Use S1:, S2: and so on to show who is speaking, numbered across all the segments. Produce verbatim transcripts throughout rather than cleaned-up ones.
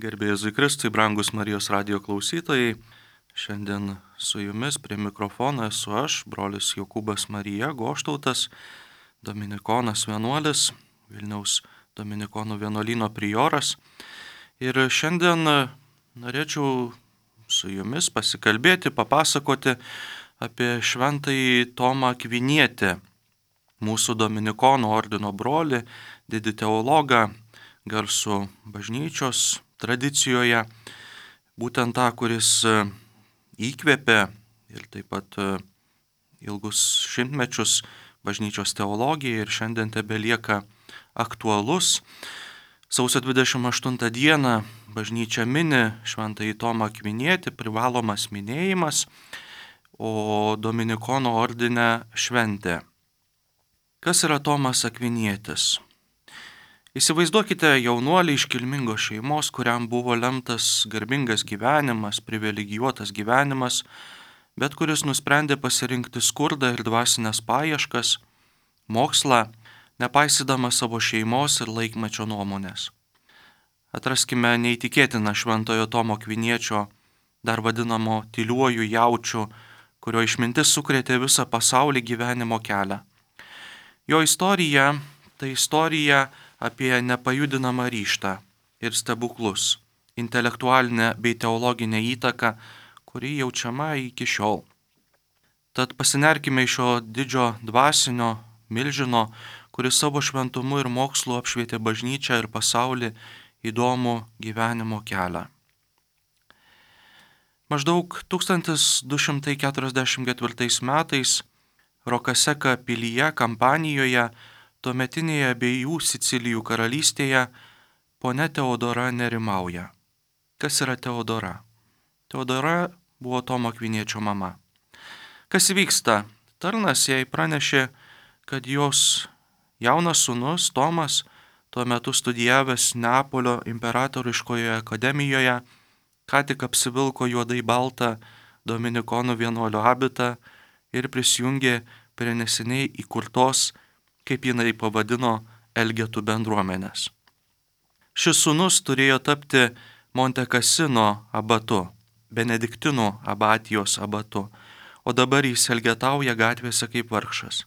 S1: Garbė Jėzui Kristui, brangus Marijos radijo klausytojai. Šiandien su jumis prie mikrofono esu aš, brolis Jokūbas Marija Goštautas, dominikonas vienuolis, Vilniaus dominikonų vienuolyno prioras. Ir šiandien norėčiau su jumis pasikalbėti, papasakoti apie šventąjį Tomą Akvinietį, mūsų dominikonų ordino brolį, didį teologą, garsų bažnyčios tradicijoje, būtent tą, kuris įkvėpė ir taip pat ilgus šimtmečius bažnyčios teologiją ir šiandien tebelieka aktualus. Sausio dvidešimt aštuntą dieną bažnyčia mini šventąjį Tomą Akvinietį, privalomas minėjimas, o dominikonų ordine šventė. Kas yra Tomas Akvinietis? Įsivaizduokite jaunuolį iš kilmingos šeimos, kuriam buvo lemtas garbingas gyvenimas, privilegijuotas gyvenimas, bet kuris nusprendė pasirinkti skurdą ir dvasinės paieškas, mokslą, nepaisydamas savo šeimos ir laikmečio nuomonės. Atraskime neįtikėtiną šventojo Tomo Akviniečio, dar vadinamo tyliuoju jaučiu, kurio išmintis sukrėtė visą pasaulį gyvenimo kelią. Jo istorija tai istorija apie nepajudinamą ryžtą ir stebuklus, intelektualinę bei teologinę įtaką, kuri jaučiama iki šiol. Tad pasinerkime iš šio didžio dvasinio milžino, kuris savo šventumu ir mokslu apšvietė bažnyčią ir pasaulį, įdomų gyvenimo kelią. Maždaug tūkstantis du šimtai keturiasdešimt ketvirtais metais Rokaseka pilyje Kampanijoje, tuometinėje abiejų Sicilijų karalystėje, ponia Teodora nerimauja. Kas yra Teodora? Teodora buvo Tomo Akviniečio mama. Kas vyksta? Tarnas jai pranešė, kad jos jaunas sūnus Tomas, tuo metu studijavęs Neapolio imperatoriškoje akademijoje, ką tik apsivilko juodai baltą dominikonų vienuolio abitą ir prisijungė prie neseniai įkurtos, kaip jinai pavadino, Elgetų bendruomenės. Šis sūnus turėjo tapti Monte Cassino abatu, Benediktinų abatijos abatu, o dabar jis elgetauja gatvėse kaip vargšas.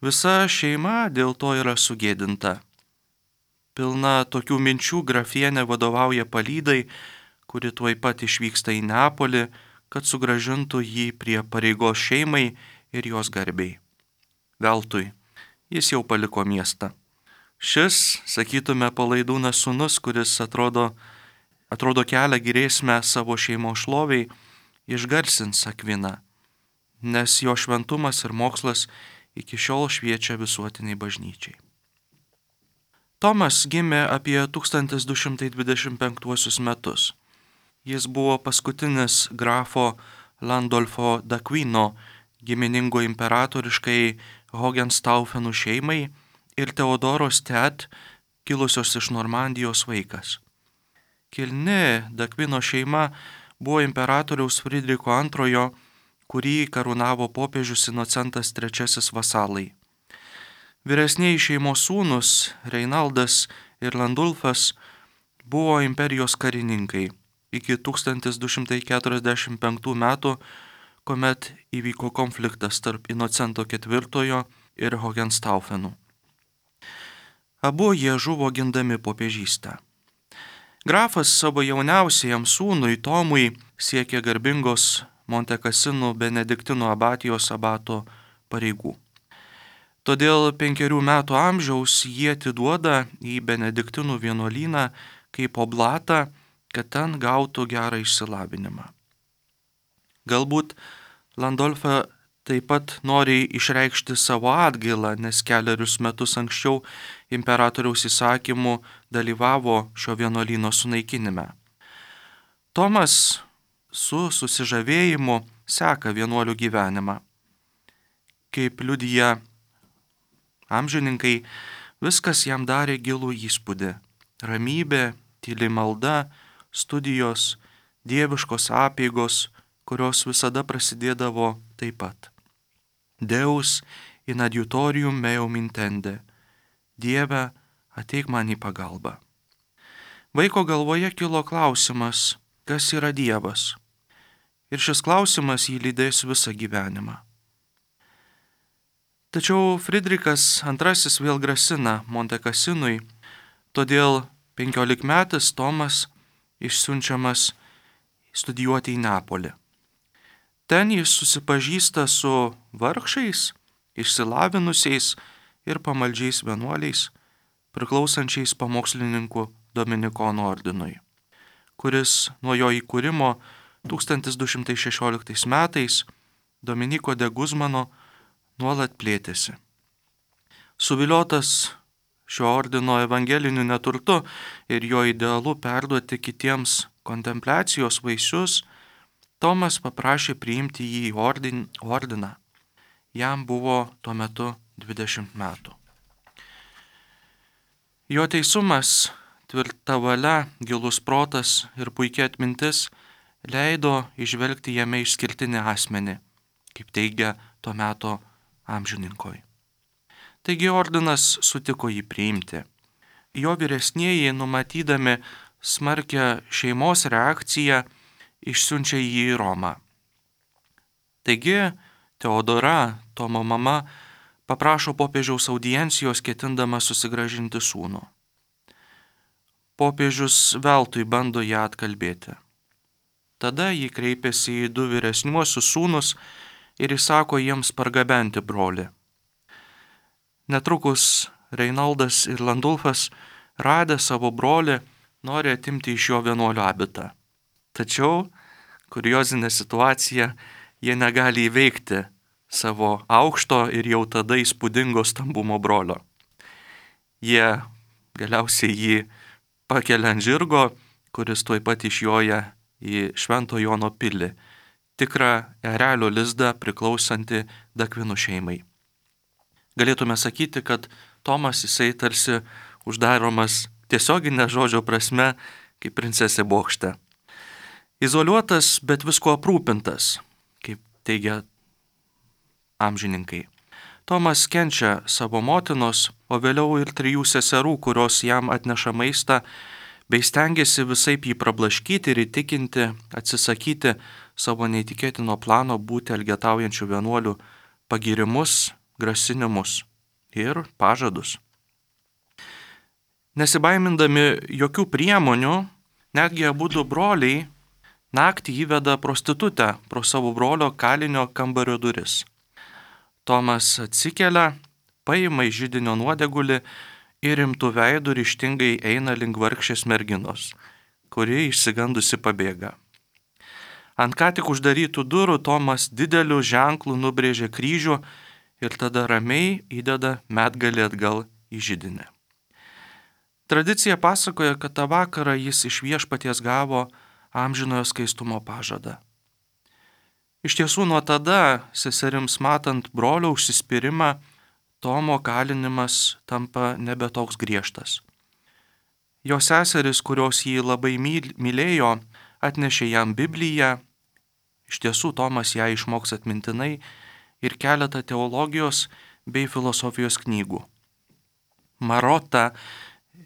S1: Visa šeima dėl to yra sugėdinta. Pilna tokių minčių grafienė vadovauja palydai, kuri tuoj pat išvyksta į Neapolį, kad sugrąžintų jį prie pareigos šeimai ir jos garbei. Veltui, jis jau paliko miestą. Šis, sakytume, palaidūnas sūnus, kuris atrodo, atrodo kelia grėsmę savo šeimos šloviai, išgarsins Akviną, nes jo šventumas ir mokslas iki šiol šviečia visuotiniai bažnyčiai. Tomas gimė apie tūkstantis du šimtai dvidešimt penktuosius metus. Jis buvo paskutinis grafo Landolfo d'Aquino, giminingo imperatoriškai Hohenstaufenų šeimai, ir Teodoros tet, kilusios iš Normandijos vaikas. Kilni d'Aquino šeima buvo imperatoriaus Fridriko antrojo, kurį karūnavo popiežius Inocentas trečiasis vasalai. Vyresnieji šeimos sūnus Reinaldas ir Landulfas buvo imperijos karininkai iki tūkstantis du šimtai keturiasdešimt penktų metų, kuomet įvyko konfliktas tarp Inocento ketvirtojo ir Hohenstaufenų. Abu jie žuvo gindami popiežystę. Grafas savo jauniausiajam sūnui Tomui siekė garbingos Monte Cassinų Benediktinų abatijos abato pareigų. Todėl penkerių metų amžiaus jie atiduoda į Benediktinų vienuolyną kaip oblatą, kad ten gautų gerą išsilavinimą. Galbūt Landolfa taip pat nori išreikšti savo atgailą, nes keliarius metus anksčiau imperatoriaus įsakymu dalyvavo šio vienuolyno sunaikinime. Tomas su susižavėjimu seka vienuolių gyvenimą. Kaip liudija amžininkai, viskas jam darė gilų įspūdį. Ramybė, tyli malda, studijos, dieviškos apeigos, kurios visada prasidėdavo taip pat. Deus in adiutorium meum intende. Dieve, ateik man į pagalbą. vaiko galvoje kilo klausimas, kas yra Dievas. Ir šis klausimas jį lydės visą gyvenimą. Tačiau Fridrikas antrasis vėl grasina Montekasinui, todėl penkiolikmetis Tomas išsiunčiamas studijuoti į Neapolį. Ten jis susipažįsta su vargšais, išsilavinusiais ir pamaldžiais vienuoliais, priklausančiais pamokslininkų Dominikonų ordinui, kuris nuo jo įkūrimo tūkstantis du šimtai šešioliktais metais Dominiko de Guzmano nuolat plėtėsi. Suviliotas šio ordino evangeliniu neturtu ir jo idealu perduoti kitiems kontempliacijos vaisius, Tomas paprašė priimti jį į ordin, ordiną. Jam buvo tuo metu dvidešimt metų. Jo teisumas, tvirta valia, gilus protas ir puikia atmintis leido įžvelgti jame išskirtinį asmenį, kaip teigia to meto amžininkoj. Taigi ordinas sutiko jį priimti. Jo vyresnieji, numatydami smarkią šeimos reakciją, išsiunčia jį į Romą. Taigi Teodora, Tomo mama, paprašo popiežiaus audiencijos, ketindama susigrąžinti sūnų. Popiežius veltui bando ją atkalbėti. Tada jį kreipiasi į du vyresniuosius sūnus ir įsako jiems pargabenti brolį. Netrukus Reinaldas ir Landulfas, radę savo brolį, nori atimti iš jo vienuolio abitą. Tačiau, kuriozinė situacija, jie negali įveikti savo aukšto ir jau tada įspūdingo stambumo brolio. Jie galiausiai jį pakelia ant žirgo, kuris tuoj pat išjoja į Švento Jono pilį, tikrą erelio lizdą priklausantį Dakvinų šeimai. Galėtume sakyti, kad Tomas jisai tarsi uždaromas tiesioginė žodžio prasme kaip princesė bokšte. Izoliuotas, bet visko aprūpintas, kaip teigia amžininkai. Tomas kenčia savo motinos, o vėliau ir trijų seserų, kurios jam atneša maistą, bei stengiasi visaip jį prablaškyti ir įtikinti, atsisakyti savo neįtikėtino plano būti elgetaujančių vienuolių pagirimus, grasinimus ir pažadus. Nesibaimindami jokių priemonių, netgi abudu broliai naktį įveda prostitutę pro savo brolio kalinio kambario duris. Tomas atsikelia, paima iš židinio nuodegulį ir rimtų veidų ryžtingai eina link vargšės merginos, kuri išsigandusi pabėga. Ant ką tik uždarytų durų Tomas dideliu ženklu nubrėžė kryžių ir tada ramiai įdeda medgalį atgal į židinį. Tradicija pasakoja, kad tą vakarą jis iš viešpaties gavo amžinojo skaistumo pažadą. Iš tiesų nuo tada, seserims matant brolio užsispyrimą, Tomo kalinimas tampa nebe toks griežtas. Jo seseris, kurios jį labai mylėjo, atnešė jam Bibliją, iš tiesų Tomas ją išmoks atmintinai, ir keletą teologijos bei filosofijos knygų. Marota,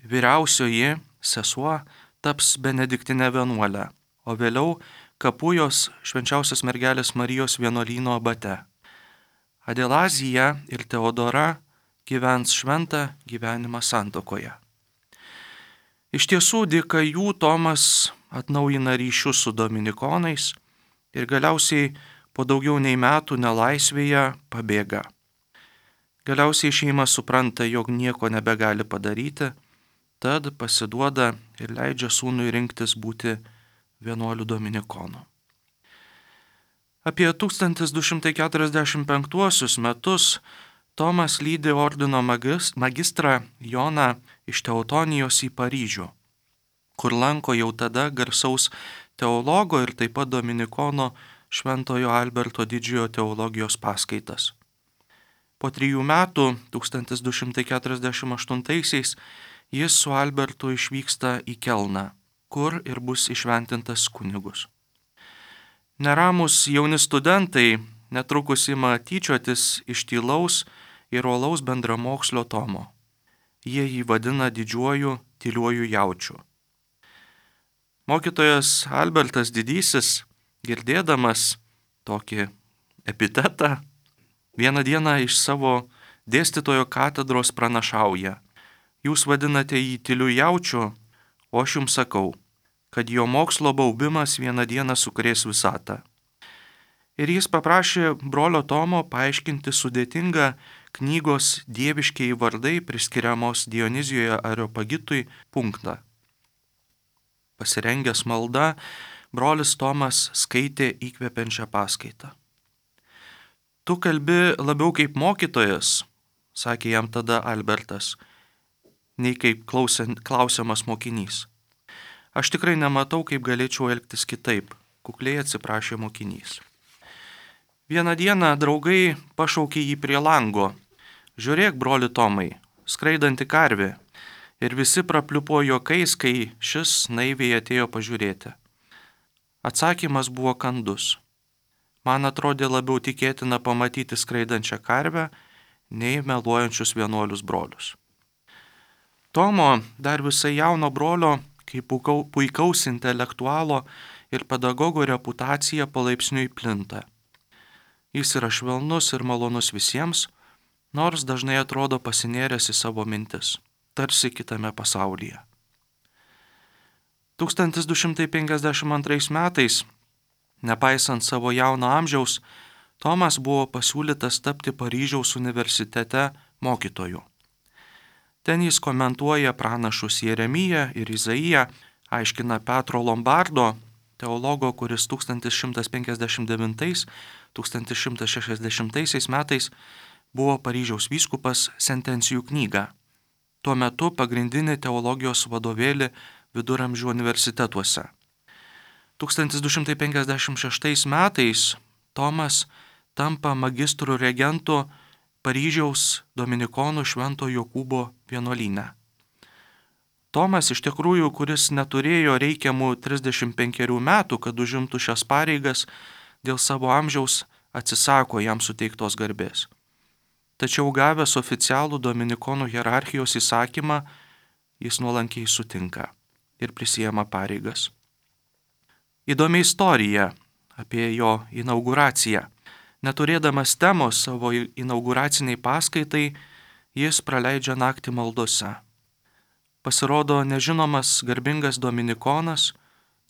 S1: vyriausioji sesuo, taps benediktinė vienuolė, o vėliau Kapujos švenčiausios mergelės Marijos vienuolyno abate. Adelazija ir Teodora gyvens šventą gyvenimą santuokoje. Iš tiesų, dėka jų Tomas atnaujina ryšius su dominikonais ir galiausiai po daugiau nei metų nelaisvėje pabėga. Galiausiai šeima supranta, jog nieko nebegali padaryti, tad pasiduoda ir leidžia sūnui rinktis būti vienuolių dominikonų. Apie tūkstantis du šimtai keturiasdešimt penktuosius metus Tomas lydi ordino magistrą Joną iš Teutonijos į Paryžių, kur lanko jau tada garsaus teologo ir taip pat dominikono Šventojo Alberto didžiojo teologijos paskaitas. Po trijų metų, tūkstantis du šimtai keturiasdešimt aštuntaisiais, jis su Albertu išvyksta į Kelną, kur ir bus įšventintas kunigus. Neramus jauni studentai netrukus ima tyčiotis iš tylaus ir uolaus bendramokslio Tomo. Jie jį vadina didžiuoju tyliuoju jaučiu. Mokytojas Albertas Didysis, girdėdamas tokį epitetą, vieną dieną iš savo dėstytojo katedros pranašauja: jūs vadinate jį tyliu jaučiu, o aš jums sakau, kad jo mokslo baubimas vieną dieną sukrės visatą. Ir jis paprašė brolio Tomo paaiškinti sudėtingą knygos dieviškiai vardai priskiriamos Dionizijoje Areopagitui punktą. Pasirengęs malda, brolis Tomas skaitė įkvepiančią paskaitą. Tu kalbi labiau kaip mokytojas, sakė jam tada Albertas, nei kaip klausiamas mokinys. Aš tikrai nematau, kaip galėčiau elgtis kitaip, kukliai atsiprašė mokinys. Vieną dieną draugai pašaukė jį prie lango. Žiūrėk, broli Tomai, skraidanti karvė. Ir visi prapliupo juokais, kai šis naiviai atėjo pažiūrėti. Atsakymas buvo kandus. Man atrodė labiau tikėtina pamatyti skraidančią karvę, nei meluojančius vienuolius brolius. Tomo, dar visai jauno brolio, kaip puikaus intelektualo ir pedagogo reputacija palaipsniui plinta. Jis yra švelnus ir malonus visiems, nors dažnai atrodo pasinėręs į savo mintis, tarsi kitame pasaulyje. tūkstantis du šimtai penkiasdešimt antrais metais, nepaisant savo jauno amžiaus, Tomas buvo pasiūlytas tapti Paryžiaus universitete mokytoju. Ten jis komentuoja pranašus Jeremiją ir Izaiją, aiškina Petro Lombardo, teologo, kuris tūkstantis šimtas penkiasdešimt devintais - tūkstantis šimtas šešiasdešimtaisiais metais buvo Paryžiaus vyskupas, sentencijų knygą. Tuo metu pagrindinį teologijos vadovėlį viduramžių universitetuose. tūkstantis du šimtai penkiasdešimt šeštais metais Tomas tampa magistrų regentu Paryžiaus dominikonų Švento Jokūbo vienuolyne. Tomas iš tikrųjų, kuris neturėjo reikiamų trisdešimt penkerių metų, kad užimtų šias pareigas, dėl savo amžiaus atsisako jam suteiktos garbės. Tačiau gavęs oficialų dominikonų hierarchijos įsakymą, jis nuolankiai sutinka ir prisiema pareigas. Įdomi istorija apie jo inauguraciją. Neturėdamas temos savo inauguraciniai paskaitai, jis praleidžia naktį maldose. Pasirodo nežinomas garbingas dominikonas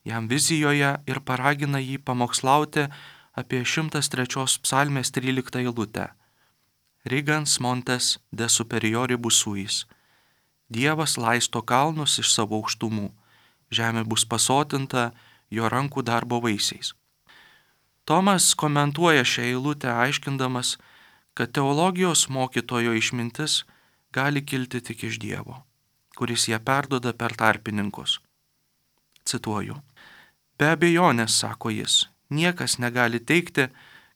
S1: jam vizijoje ir paragina jį pamokslauti apie šimtas trečios psalmės tryliktą eilutę. Rigans montes de superioribus suis. Dievas laisto kalnus iš savo aukštumų. Žemė bus pasotinta jo rankų darbo vaisiais. Tomas komentuoja šią eilutę aiškindamas, kad teologijos mokytojo išmintis gali kilti tik iš Dievo, kuris ją perduoda per tarpininkus. Cituoju. Be abejonės, sako jis, niekas negali teigti,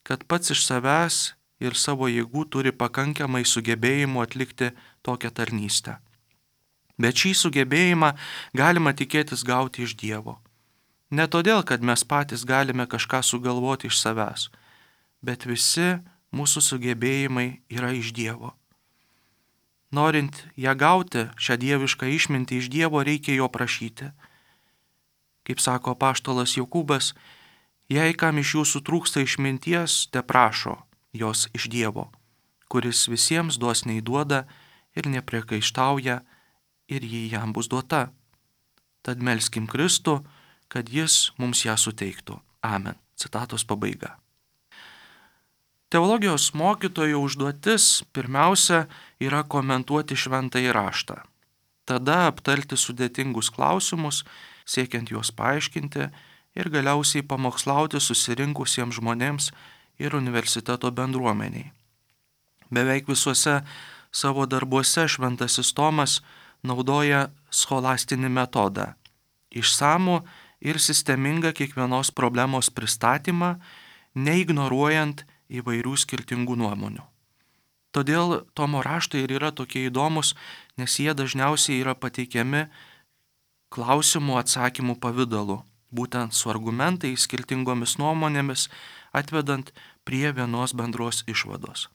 S1: kad pats iš savęs ir savo jėgų turi pakankamai sugebėjimų atlikti tokią tarnystę. Bet šį sugebėjimą galima tikėtis gauti iš Dievo. Ne todėl, kad mes patys galime kažką sugalvoti iš savęs, bet visi mūsų sugebėjimai yra iš Dievo. Norint ją gauti, šią dievišką išmintį iš Dievo, reikia jo prašyti. Kaip sako apaštalas Jokūbas, jei kam iš jūsų trūksta išminties, te prašo jos iš Dievo, kuris visiems dosniai duoda ir nepriekaištauja, ir ji jam bus duota. Tad melskim Kristų, kad jis mums ją suteiktų. Amen. Citatos pabaiga. Teologijos mokytojo užduotis pirmiausia yra komentuoti šventąjį raštą. Tada aptarti sudėtingus klausimus, siekiant juos paaiškinti ir galiausiai pamokslauti susirinkusiems žmonėms ir universiteto bendruomeniai. Beveik visuose savo darbuose šventasis Tomas naudoja scholastinį metodą, išsamų ir sistemingą kiekvienos problemos pristatymą, neignoruojant įvairių skirtingų nuomonių. Todėl Tomo raštai ir yra tokie įdomus, nes jie dažniausiai yra pateikiami klausimų atsakymų pavidalu, būtent su argumentais, skirtingomis nuomonėmis, atvedant prie vienos bendros išvados.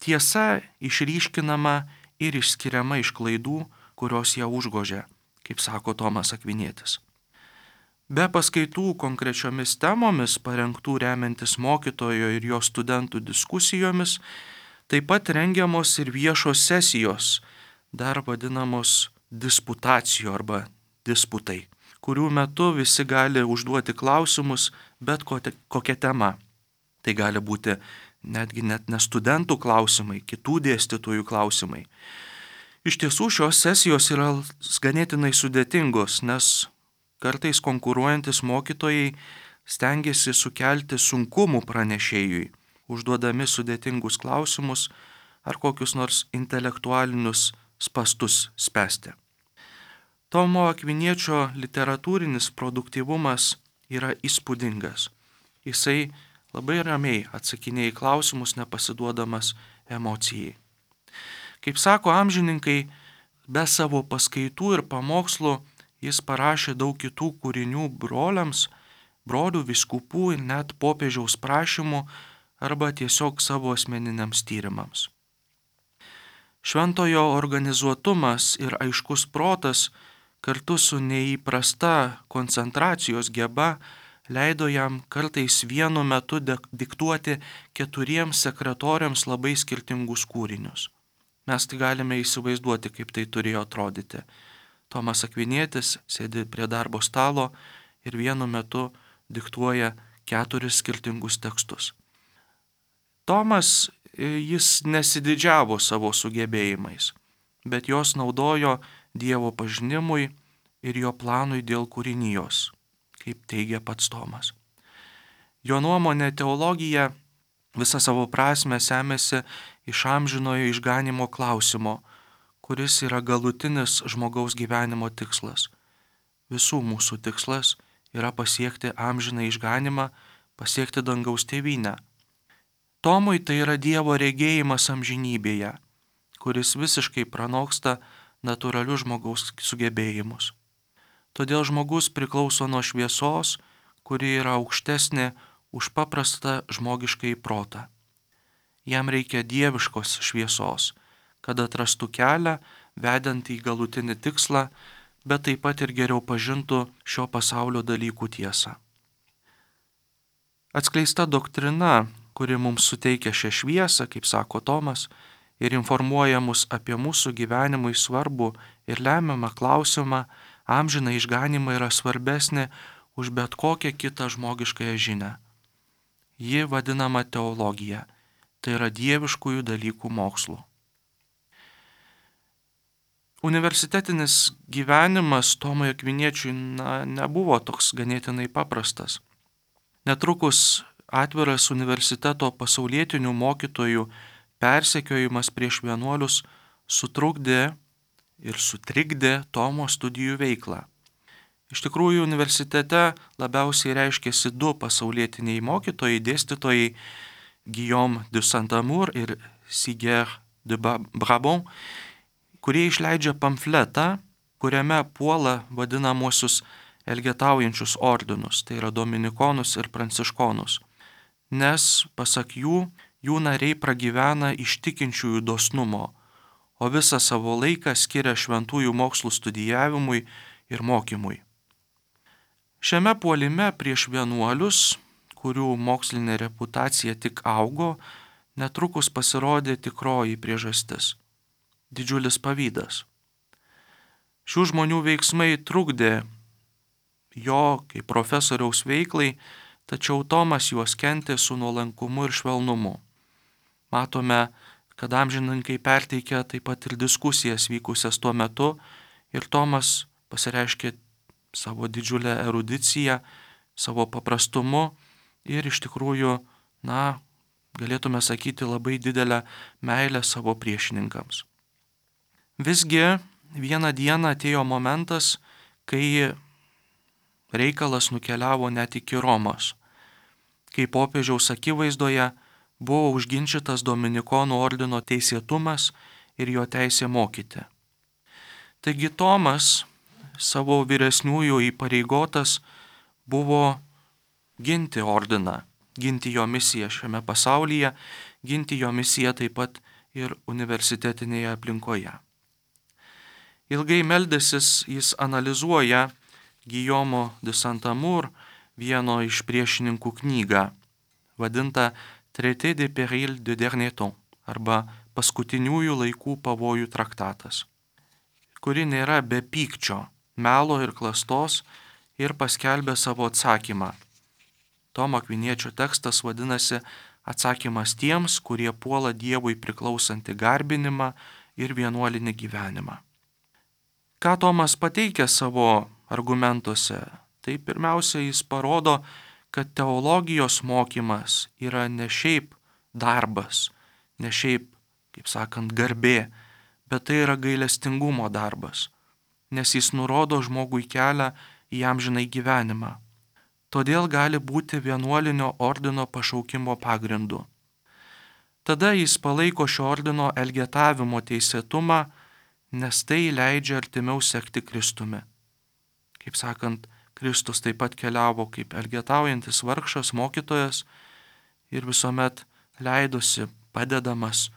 S1: Tiesa išryškinama ir išskiriama iš klaidų, kurios ją užgožia, kaip sako Tomas Akvinietis. Be paskaitų konkrečiomis temomis, parengtų remiantis mokytojo ir jo studentų diskusijomis, taip pat rengiamos ir viešos sesijos, dar vadinamos disputacijų arba disputai, kurių metu visi gali užduoti klausimus bet kokia tema. Tai gali būti netgi net ne studentų klausimai, kitų dėstytojų klausimai. Iš tiesų šios sesijos yra ganėtinai sudėtingos, nes kartais konkuruojantis mokytojai stengiasi sukelti sunkumų pranešėjui, užduodami sudėtingus klausimus ar kokius nors intelektualinius spastus spęsti. Tomo Akviniečio literatūrinis produktyvumas yra įspūdingas. Jisai labai ramiai atsakinėja į klausimus, nepasiduodamas emocijai. Kaip sako amžininkai, be savo paskaitų ir pamokslų jis parašė daug kitų kūrinių broliams, brolių vyskupų ir net popiežiaus prašymų arba tiesiog savo asmeniniams tyrimams. Šventojo organizuotumas ir aiškus protas kartu su neįprasta koncentracijos geba leido jam kartais vienu metu diktuoti keturiems sekretoriams labai skirtingus kūrinius. Mes tai galime įsivaizduoti, kaip tai turėjo atrodyti. Tomas Akvinietis sėdi prie darbo stalo ir vienu metu diktuoja keturis skirtingus tekstus. Tomas, jis nesididžiavo savo sugebėjimais, bet jos naudojo Dievo pažinimui ir jo planui dėl kūrinijos, kaip teigia pats Tomas. Jo nuomonė teologija visą savo prasme semėsi iš amžinojo išganimo klausimo, kuris yra galutinis žmogaus gyvenimo tikslas. Visų mūsų tikslas yra pasiekti amžiną išganimą, pasiekti dangaus tėvynę. Tomui tai yra Dievo regėjimas amžinybėje, kuris visiškai pranoksta natūralius žmogaus sugebėjimus. Todėl žmogus priklauso nuo šviesos, kuri yra aukštesnė už paprastą žmogiškąjį protą. Jam reikia dieviškos šviesos, kad atrastų kelią, vedant į galutinį tikslą, bet taip pat ir geriau pažintų šio pasaulio dalykų tiesą. Atskleista doktrina, kuri mums suteikia šią šviesą, kaip sako Tomas, ir informuoja mus apie mūsų gyvenimui svarbų ir lemiamą klausimą, amžiną išganimą, yra svarbesnė už bet kokią kitą žmogiškąją žinią. Ji vadinama teologija, tai yra dieviškųjų dalykų mokslu. Universitetinis gyvenimas Tomui Akviniečiui na, nebuvo toks ganėtinai paprastas. Netrukus atviras universiteto pasaulietinių mokytojų persekiojimas prieš vienuolius sutrukdė ir sutrikdė Tomo studijų veiklą. Iš tikrųjų, universitete labiausiai reiškėsi du pasaulietiniai mokytojai, dėstytojai Guillaume de Saint-Amour ir Siger de Brabant, kurie išleidžia pamfletą, kuriame puola vadinamosius elgetaujančius ordinus, tai yra dominikonus ir pranciškonus, nes, pasak jų, jų nariai pragyvena iš tikinčiųjų dosnumo, o visą savo laiką skiria šventųjų mokslų studijavimui ir mokymui. Šiame puolime prieš vienuolius, kurių mokslinė reputacija tik augo, netrukus pasirodė tikroji priežastis – didžiulis pavydas. Šių žmonių veiksmai trukdė jo kaip profesoriaus veiklai, tačiau Tomas juos kentė su nuolankumu ir švelnumu. Matome, kad amžininkai perteikia taip pat ir diskusijas vykusias tuo metu ir Tomas pasireiškė savo didžiulę erudiciją, savo paprastumu ir iš tikrųjų, na, galėtume sakyti, labai didelę meilę savo priešininkams. Visgi vieną dieną atėjo momentas, kai reikalas nukeliavo net iki Romos, kai popiežiaus akivaizdoje buvo užginčytas dominikonų ordino teisėtumas ir jo teisė mokyti. Taigi Tomas, savo vyresniųjų įpareigotas, buvo ginti ordiną, ginti jo misiją šiame pasaulyje, ginti jo misiją taip pat ir universitetinėje aplinkoje. Ilgai meldęsis jis analizuoja Guillaume de Saint-Amour, vieno iš priešininkų knygą, vadintą Traité des périls de dernier temps arba paskutiniųjų laikų pavojų traktatas, kuri nėra be pykčio, melo ir klastos ir paskelbė savo atsakymą. Tomo Akviniečio tekstas vadinasi Atsakymas tiems, kurie puola Dievui priklausantį garbinimą ir vienuolinį gyvenimą. Ką Tomas pateikia savo argumentuose? Tai pirmiausia, jis parodo, kad teologijos mokymas yra ne šiaip darbas, ne šiaip, kaip sakant, garbė, bet tai yra gailestingumo darbas, nes jis nurodo žmogui kelią į amžinai gyvenimą. Todėl gali būti vienuolinio ordino pašaukimo pagrindu. Tada jis palaiko šio ordino elgetavimo teisėtumą, nes tai leidžia artimiau sekti Kristumi. Kaip sakant, Kristus taip pat keliavo kaip elgetaujantis vargšas mokytojas ir visuomet leidosi padedamas,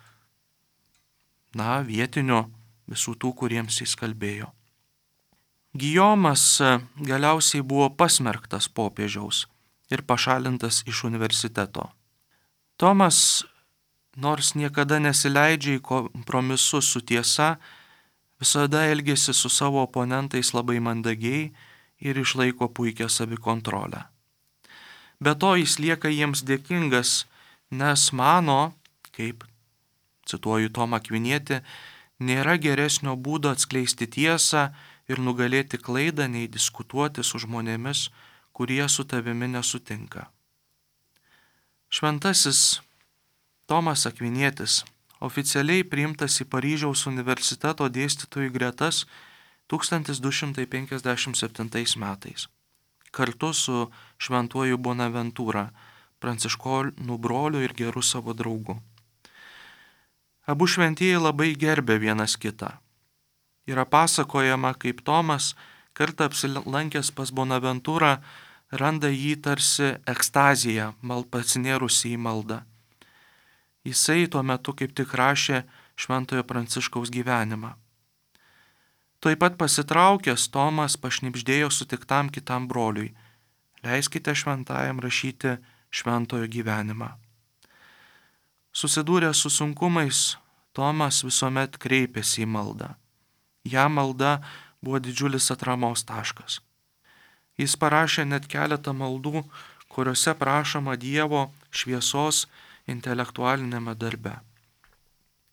S1: na, vietinių visų tų, kuriems jis kalbėjo. Gijomas galiausiai buvo pasmerktas popiežiaus ir pašalintas iš universiteto. Tomas, nors niekada nesileidžia į kompromisus su tiesa, visada elgėsi su savo oponentais labai mandagiai ir išlaiko puikią savikontrolę. Be to jis lieka jiems dėkingas, nes mano, kaip, cituoju Tomą Akvinietį, nėra geresnio būdo atskleisti tiesą ir nugalėti klaidą, nei diskutuoti su žmonėmis, kurie su tavimi nesutinka. Šventasis Tomas Akvinietis oficialiai priimtas į Paryžiaus universiteto dėstytojų gretas tūkstantis du šimtai penkiasdešimt septintais metais, kartu su šventuoju Bonaventūra, pranciškonų broliu ir geru savo draugu. Abu šventieji labai gerbė vienas kitą. Yra pasakojama, kaip Tomas, kartą apsilankęs pas Bonaventūrą, randa jį tarsi ekstaziją, mal pasinėrusi į maldą. Jisai tuo metu kaip tik rašė Šventojo Pranciškaus gyvenimą. Tuoj pat pasitraukęs, Tomas pašnibždėjo sutiktam kitam broliui: leiskite šventajam rašyti šventojo gyvenimą. Susidūręs su sunkumais, Tomas visuomet kreipėsi į maldą. Jam malda buvo didžiulis atramos taškas. Jis parašė net keletą maldų, kuriuose prašoma Dievo šviesos intelektualinėme darbe.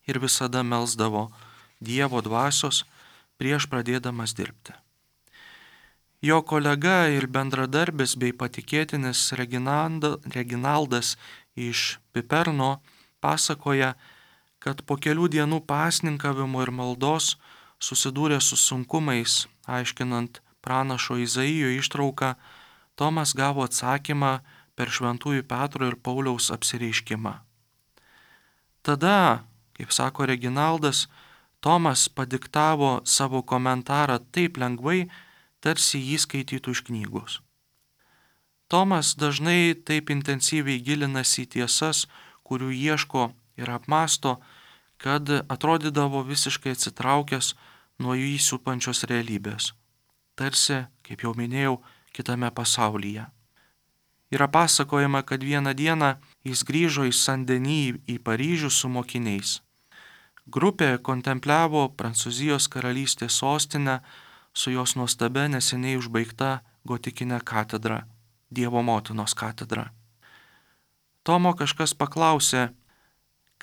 S1: Ir visada melsdavo Dievo dvasios prieš pradėdamas dirbti. Jo kolega ir bendradarbis bei patikėtinis Reginaldas iš Piperno pasakoja, kad po kelių dienų pasninkavimo ir maldos susidūrė su sunkumais, aiškinant pranašo Izaijo ištrauką, Tomas gavo atsakymą per šventųjų Petro ir Pauliaus apsireiškimą. Tada, kaip sako Reginaldas, Tomas padiktavo savo komentarą taip lengvai, tarsi jį skaitytų iš knygos. Tomas dažnai taip intensyviai gilinasi į tiesas, kurių ieško ir apmąsto, kad atrodydavo visiškai atsitraukęs nuo jų įsupančios realybės. Tarsi, kaip jau minėjau, kitame pasaulyje. Yra pasakojama, kad vieną dieną jis grįžo į Saint-Denis į Paryžių su mokiniais. Grupė kontempliavo Prancūzijos karalystės sostinę su jos nuostabia neseniai užbaigta gotikinė katedra, Dievo motinos katedra. Tomo kažkas paklausė: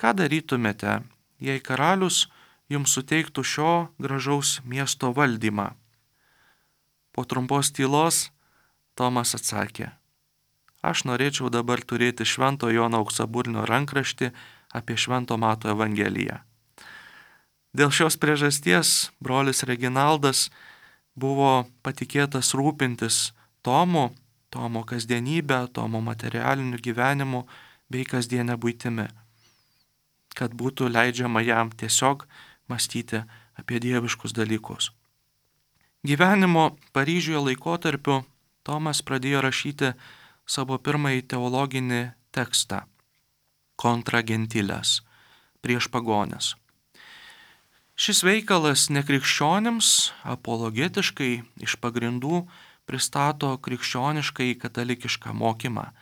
S1: ką darytumėte, jei karalius jums suteiktų šio gražaus miesto valdymą? Po trumpos tylos Tomas atsakė: aš norėčiau dabar turėti Švento Jono Auksaburnio rankraštį apie Švento Mato Evangeliją. Dėl šios priežasties brolis Reginaldas buvo patikėtas rūpintis Tomu, Tomo kasdienybę, Tomo materialiniu gyvenimu bei kasdienę buitimi, kad būtų leidžiama jam tiesiog mąstyti apie dieviškus dalykus. Gyvenimo Paryžiuje laikotarpiu Tomas pradėjo rašyti savo pirmąjį teologinį tekstą Contra Gentiles, prieš pagones. Šis veikalas nekrikščionims apologetiškai iš pagrindų pristato krikščionišką į katalikišką mokymą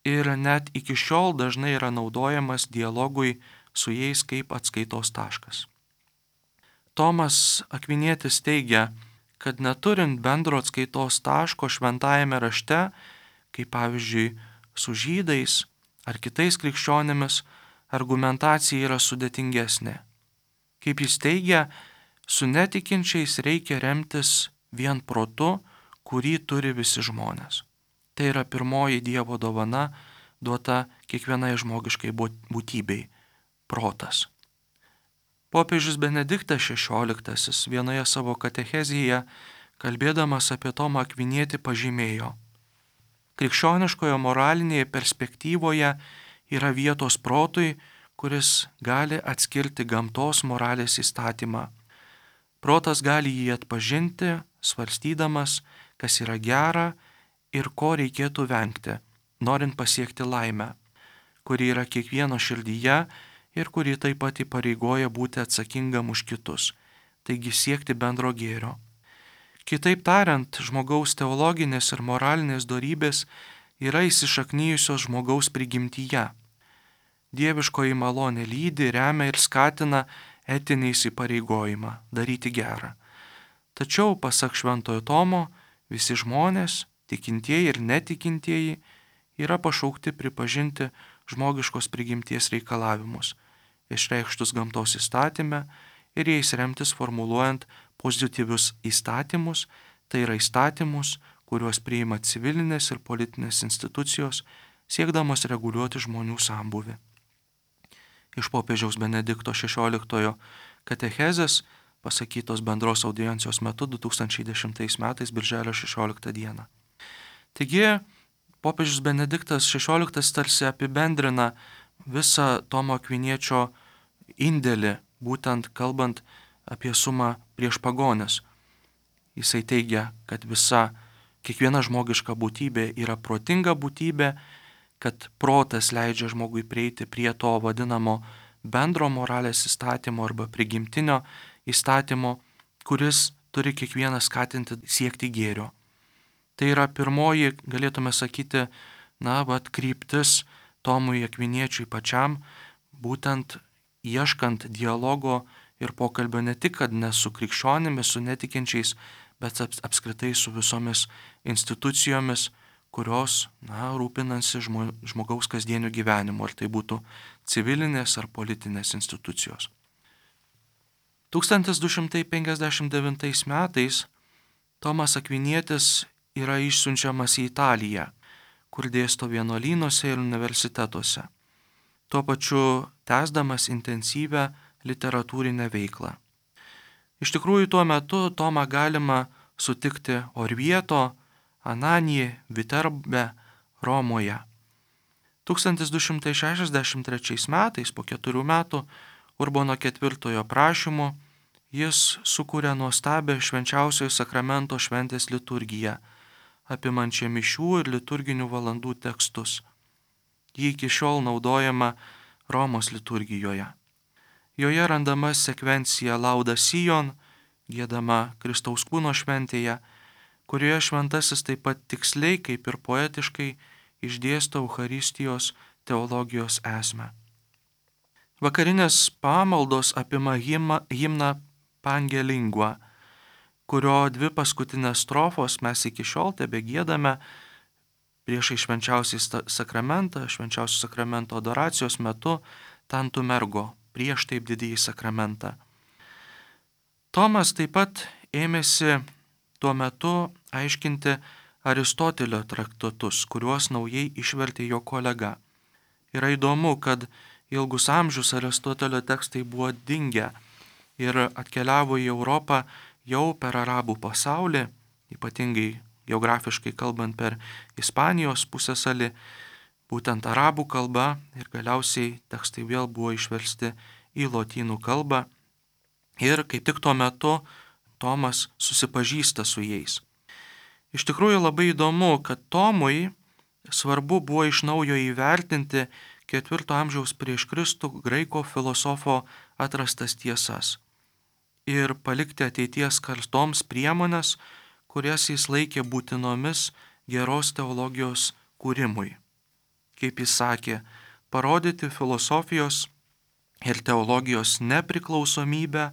S1: ir net iki šiol dažnai yra naudojamas dialogui su jais kaip atskaitos taškas. Tomas Akvinietis teigia, kad neturint bendro atskaitos taško šventajame rašte, kaip pavyzdžiui su žydais ar kitais krikščionėmis, argumentacija yra sudėtingesnė. Kaip jis teigia, su netikinčiais reikia remtis vien protu, kurį turi visi žmonės. Tai yra pirmoji Dievo dovana duota kiekvienai žmogiškai būtybei - protas. Popiežius Benediktas šešioliktasis vienoje savo katechezėje, kalbėdamas apie Tomą Akvinietį, pažymėjo: krikščioniškoje moralinėje perspektyvoje yra vietos protui, kuris gali atskirti gamtos moralės įstatymą. Protas gali jį atpažinti, svarstydamas, kas yra gera ir ko reikėtų vengti, norint pasiekti laimę, kuri yra kiekvieno širdyje ir kuri taip pat įpareigoja būti atsakingam už kitus, taigi siekti bendro gėrio. Kitaip tariant, žmogaus teologinės ir moralinės dorybės yra įsišaknyjusios žmogaus prigimtyje. Dieviškoji malonė lydi, remia ir skatina etinį įsipareigojimą daryti gerą. Tačiau, pasak Šventojo Tomo, visi žmonės, tikintieji ir netikintieji, yra pašaukti pripažinti žmogiškos prigimties reikalavimus, išreikštus gamtos įstatyme ir jais remtis formuluojant pozityvius įstatymus, tai yra įstatymus, kuriuos priima civilinės ir politinės institucijos, siekdamos reguliuoti žmonių sambūvį. Iš popiežiaus Benedikto šešioliktojo katechezės, pasakytos bendros audiencijos metu du tūkstančiai dešimtais metais birželio šešioliktą dieną. Taigi, popiežius Benediktas šešioliktas tarsi apibendrina visą Tomo Akviniečio indėlį, būtent kalbant apie sumą prieš pagonis. Jisai teigia, kad visa, kiekviena žmogiška būtybė yra protinga būtybė, kad protas leidžia žmogui prieiti prie to vadinamo bendro moralės įstatymo arba prigimtinio įstatymo, kuris turi kiekvieną skatinti siekti gėrio. Tai yra pirmoji, galėtume sakyti, na, vat kryptis Tomui Akviniečiui pačiam, būtent ieškant dialogo ir pokalbio ne tik, kad ne su krikščionimis, su netikinčiais, bet apskritai su visomis institucijomis, kurios, na, rūpinasi žmogaus kasdieniu gyvenimu, ar tai būtų civilinės ar politinės institucijos. tūkstantis du šimtai penkiasdešimt devintais metais Tomas Akvinietis yra išsiunčiamas į Italiją, kur dėsto vienuolynuose ir universitetuose, tuo pačiu tęsdamas intensyvę literatūrinę veiklą. Iš tikrųjų, tuo metu Tomą galima sutikti Orvieto, Ananije, Viterbe, Romoje. tūkstantis du šimtai šešiasdešimt trečiais metais, po keturių metų, Urbono ketvirtojo prašymu, jis sukūrė nuostabią švenčiausiojo sakramento šventės liturgiją, apimančią mišių ir liturginių valandų tekstus. Ji iki šiol naudojama Romos liturgijoje. Joje randama sekvencija Lauda Sion, giedama Kristaus kūno šventėje, kurioje šventasis taip pat tiksliai kaip ir poetiškai išdėsto Eucharistijos teologijos esmę. Vakarinės pamaldos apima himną Pange Lingua, kurio dvi paskutinės strofos mes iki šiol tebegiedame priešai švenčiausiai sakramentą, švenčiausio sakramento adoracijos metu Tantum ergo, prieš taip didįjį sakramentą. Tomas taip pat ėmėsi tuo metu aiškinti Aristotelio traktatus, kuriuos naujai išvertė jo kolega. Yra įdomu, kad ilgus amžius Aristotelio tekstai buvo dingę ir atkeliavo į Europą jau per arabų pasaulį, ypatingai geografiškai kalbant per Ispanijos pusiasalį, būtent arabų kalba, ir galiausiai tekstai vėl buvo išversti į lotynų kalbą ir kaip tik tuo metu Tomas susipažįsta su jais. Iš tikrųjų labai įdomu, kad Tomui svarbu buvo iš naujo įvertinti ketvirto amžiaus prieš Kristų graiko filosofo atrastas tiesas ir palikti ateities kartoms priemonės, kurias jis laikė būtinomis geros teologijos kūrimui. Kaip jis sakė, parodyti filosofijos ir teologijos nepriklausomybę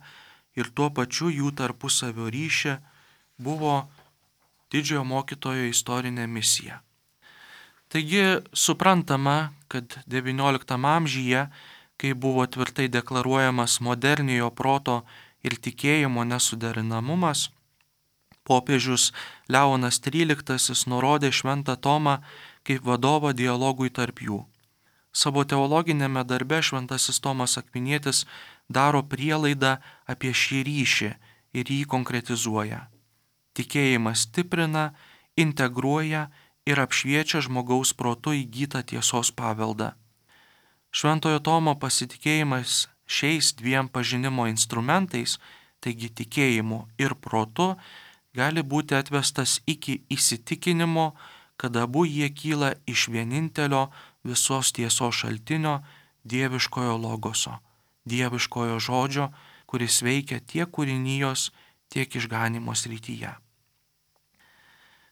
S1: ir tuo pačiu jų tarpusavio ryšį buvo didžiojo mokytojo istorinė misija. Taigi suprantama, kad devynioliktame amžiuje, kai buvo tvirtai deklaruojamas moderniojo proto ir tikėjimo nesuderinamumas, popiežius Leonas tryliktasis nurodė Šventą Tomą kaip vadovą dialogui tarp jų. Savo teologinėme darbe Šventasis Tomas Akvinietis daro prielaidą apie šį ryšį ir jį konkretizuoja. Tikėjimas stiprina, integruoja ir apšviečia žmogaus protu įgytą tiesos paveldą. Šventojo Tomo pasitikėjimas šiais dviem pažinimo instrumentais, taigi tikėjimu ir protu, gali būti atvestas iki įsitikinimo, kad abu jie kyla iš vienintelio visos tiesos šaltinio, dieviškojo logoso, dieviškojo žodžio, kuris veikia tiek kūrinijos, tiek išganimo srityje.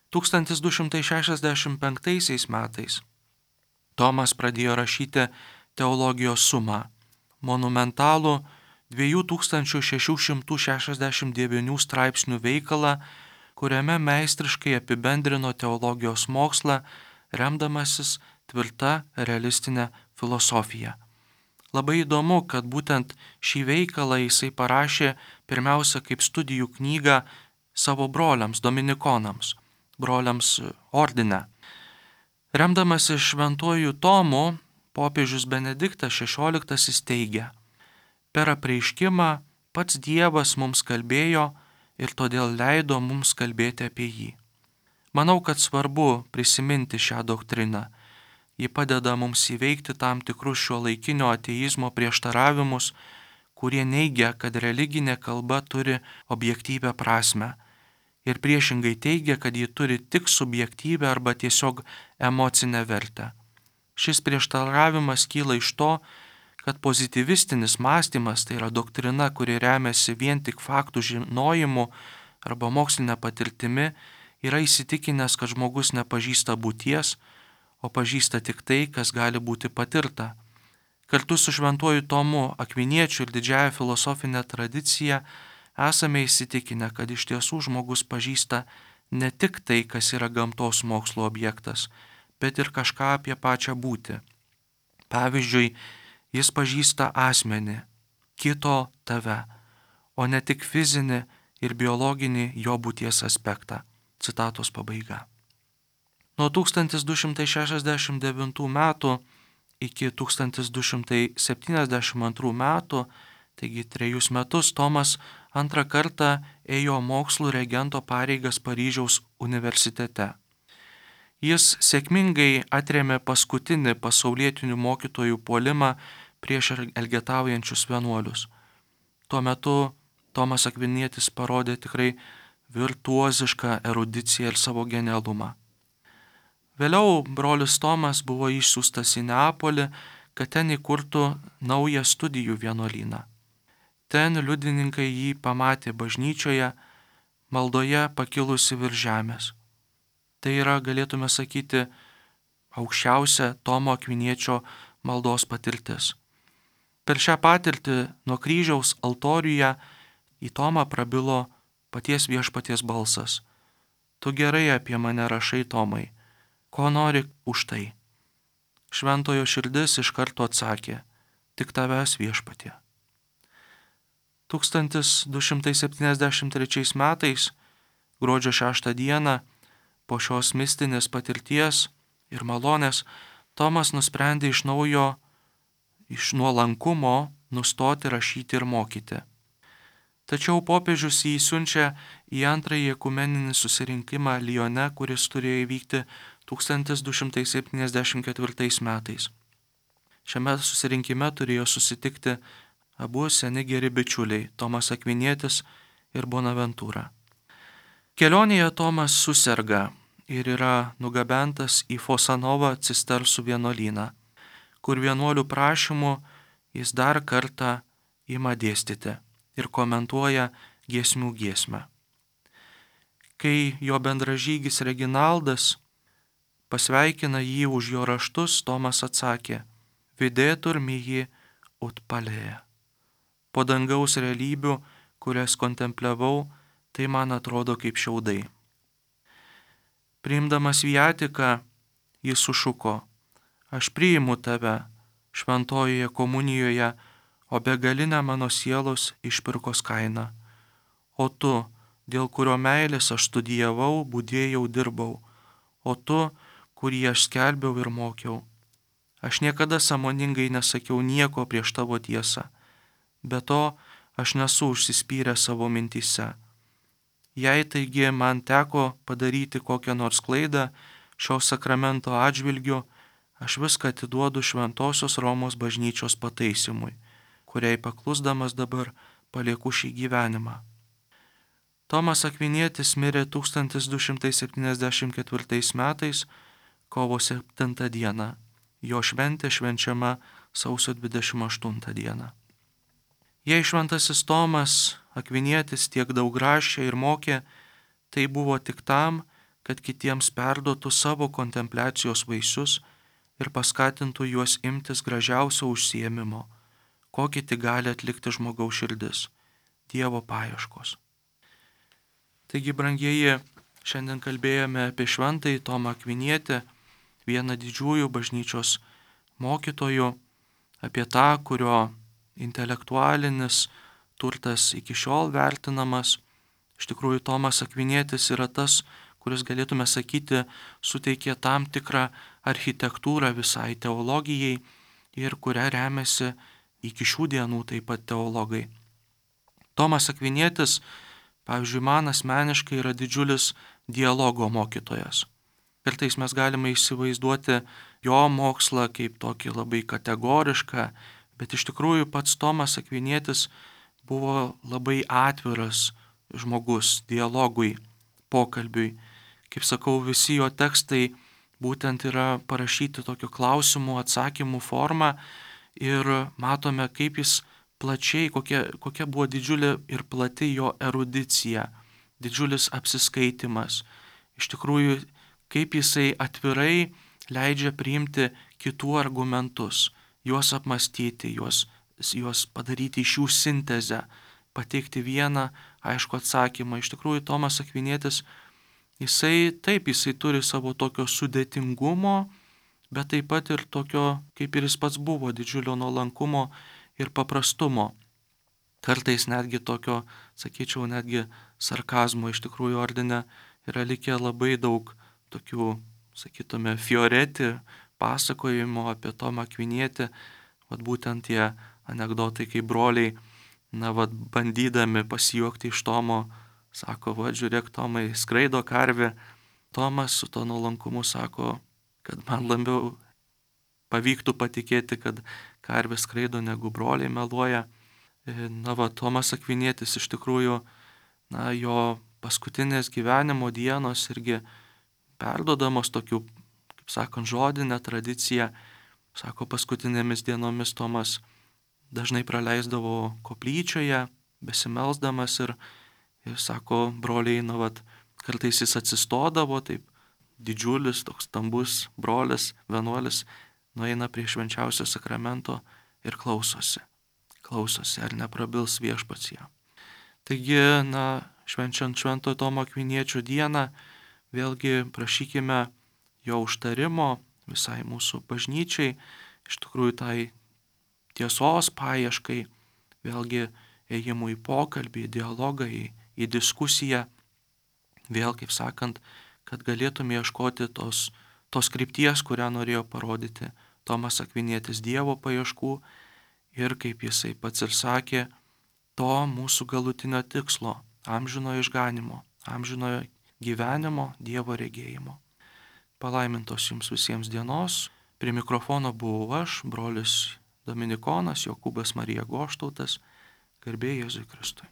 S1: tūkstantis du šimtai šešiasdešimt penktaisiais metais Tomas pradėjo rašyti teologijos sumą, monumentalų dviejų tūkstančių šešių šimtų šešiasdešimt devynių straipsnių veikalą, kuriame meistriškai apibendrino teologijos mokslą, remdamasis tvirta realistinė filosofija. Labai įdomu, kad būtent šį veikalą jisai parašė pirmiausia kaip studijų knygą savo broliams, dominikonams, broliams ordine. Remdamasis šventuoju Tomu, popiežius Benediktas šešioliktasis teigia: per apreiškimą pats Dievas mums kalbėjo ir todėl leido mums kalbėti apie jį. Manau, kad svarbu prisiminti šią doktriną. Ji padeda mums įveikti tam tikrus šiuolaikinio ateizmo prieštaravimus, kurie neigia, kad religinė kalba turi objektyvę prasme, ir priešingai teigia, kad ji turi tik subjektyvę arba tiesiog emocinę vertę. Šis prieštaravimas kyla iš to, kad pozitivistinis mąstymas, tai yra doktrina, kuri remiasi vien tik faktų žinojimu arba mokslinė patirtimi, yra įsitikinęs, kad žmogus nepažįsta būties, o pažįsta tik tai, kas gali būti patirta. Kartu su šventuoju Tomu Akviniečiu ir didžiąja filosofinė tradicija esame įsitikinę, kad iš tiesų žmogus pažįsta ne tik tai, kas yra gamtos mokslo objektas, bet ir kažką apie pačią būtį. Pavyzdžiui, jis pažįsta asmenį, kito tave, o ne tik fizinį ir biologinį jo būties aspektą. Citatos pabaiga. Nuo tūkstantis du šimtai šešiasdešimt devintų metų iki tūkstantis du šimtai septyniasdešimt antrų metų, taigi trejus metus, Tomas antrą kartą ėjo mokslų regento pareigas Paryžiaus universitete. Jis sėkmingai atrėmė paskutinį pasaulietinių mokytojų puolimą prieš elgetaujančius vienuolius. Tuo metu Tomas Akvinietis parodė tikrai virtuozišką erudiciją ir savo genialumą. Vėliau brolis Tomas buvo išsiųstas į Neapolį, kad ten įkurtų naują studijų vienuolyną. Ten liudininkai jį pamatė bažnyčioje, maldoje pakilusi virš žemės. Tai yra, galėtume sakyti, aukščiausia Tomo Akviniečio maldos patirtis. Per šią patirtį nuo kryžiaus altoriuje į Tomą prabilo paties viešpaties balsas. Tu gerai apie mane rašai, Tomai. Ko nori už tai? Šventojo širdis iš karto atsakė: tik tavęs, viešpatie. tūkstantis du šimtai septyniasdešimt trečiais metais, gruodžio šeštą dieną, po šios mistinės patirties ir malonės, Tomas nusprendė iš naujo, iš nuolankumo nustoti rašyti ir mokyti. Tačiau popiežius jį siunčia į antrąjį ekumeninį susirinkimą Lione, kuris turėjo įvykti tūkstantis du šimtai septyniasdešimt ketvirtais metais. Šiame susirinkime turėjo susitikti abu seni geri bičiuliai, Tomas Akvinietis ir Bonaventūra. Kelionėje Tomas suserga ir yra nugabentas į Fosanovą cistersų vienuolyną, kur vienuolių prašymu jis dar kartą ima dėstyti ir komentuoja giesmių giesmę. Kai jo bendražygis Reginaldas pasveikina jį už jo raštus, Tomas atsakė: Videtur mihi ut palėja. Po dangaus realybių, kurias kontempliavau, tai man atrodo kaip šiaudai. Priimdamas viatiką, jis sušuko: Aš priimu tave šventojoje komunijoje, o begalinę mano sielos išpirkos kainą. O tu, dėl kurio meilės aš studijavau, budėjau, dirbau, o tu, kurį aš skelbiau ir mokiau. Aš niekada sąmoningai nesakiau nieko prieš tavo tiesą, be to aš nesu užsispyręs savo mintyse. Jei taigi man teko padaryti kokią nors klaidą šio sakramento atžvilgiu, aš viską atiduodu Šventosios Romos bažnyčios pataisimui, kuriai paklusdamas dabar palieku šį gyvenimą. Tomas Akvinietis mirė tūkstantis du šimtai septyniasdešimt ketvirtais metais, kovo septintą dieną. Jo šventė švenčiama sausio dvidešimt aštuntą dieną. Jei šventasis Tomas Akvinietis tiek daug rašė ir mokė, tai buvo tik tam, kad kitiems perduotų savo kontempliacijos vaisius ir paskatintų juos imtis gražiausio užsiėmimo, kokį tik gali atlikti žmogaus širdis – Dievo paieškos. Taigi, brangieji, šiandien kalbėjome apie šventąjį Tomą Akvinietį, vieną didžiųjų bažnyčios mokytojų, apie tą, kurio intelektualinis turtas iki šiol vertinamas. Iš tikrųjų, Tomas Akvinietis yra tas, kuris, galėtume sakyti, suteikė tam tikrą architektūrą visai teologijai ir kuria remiasi iki šių dienų taip pat teologai. Tomas Akvinietis, pavyzdžiui, man asmeniškai yra didžiulis dialogo mokytojas. Kartais mes galime įsivaizduoti jo mokslą kaip tokį labai kategorišką, bet iš tikrųjų pats Tomas Akvinietis buvo labai atviras žmogus dialogui, pokalbiui. Kaip sakau, visi jo tekstai būtent yra parašyti tokiu klausimų, atsakymų forma ir matome, kaip jis plačiai, kokia, kokia buvo didžiulė ir plati jo erudicija, didžiulis apsiskaitimas. Iš tikrųjų, kaip jisai atvirai leidžia priimti kitų argumentus, juos apmastyti, juos, juos padaryti iš jų sintezę, pateikti vieną aišku atsakymą. Iš tikrųjų, Tomas Akvinietis, jisai taip, jisai turi savo tokio sudėtingumo, bet taip pat ir tokio, kaip ir jis pats buvo, didžiulio nuolankumo ir paprastumo. Kartais netgi tokio, sakyčiau, netgi sarkazmo. Iš tikrųjų, ordine yra likę labai daug tokių, sakytume, fioreti pasakojimo apie Tomą Akvinietį, vat būtent tie anekdotai, kai broliai, na, vat bandydami pasijuokti iš Tomo, sako, va, žiūrėk, Tomai, skraido karvė. Tomas su to nuolankumu sako, kad man labiau pavyktų patikėti, kad karvė skraido, negu broliai meluoja. Na, va, Tomas Akvinietis iš tikrųjų, na, jo paskutinės gyvenimo dienos irgi perdodamos tokių, kaip sakant, žodinę tradiciją. Sako, paskutinėmis dienomis Tomas dažnai praleisdavo koplyčioje, besimelsdamas ir, ir sako, broliai, na, vat, kartais jis atsistodavo, taip didžiulis, toks stambus brolis, vienuolis, nueina prie švenčiausio sakramento ir klausosi. Klausosi, ar neprabils viešpats jam. Taigi, na, švenčiant Šventojo Tomo Akviniečio dieną, vėlgi prašykime jo užtarimo visai mūsų bažnyčiai, iš tikrųjų tai tiesos paieškai, vėlgi ėjimų į pokalbį, į dialogą, į, į diskusiją, vėl, kaip sakant, kad galėtume ieškoti tos, tos krypties, kurią norėjo parodyti Tomas Akvinietis, Dievo paieškų ir, kaip jisai pats ir sakė, to mūsų galutinio tikslo, amžinojo išganimo, amžinojo gyvenimo, Dievo regėjimo. Palaimintos jums visiems dienos. Prie mikrofono buvau aš, brolis Dominikonas Jokūbas Marija Goštautas, garbė Jėzui Kristui.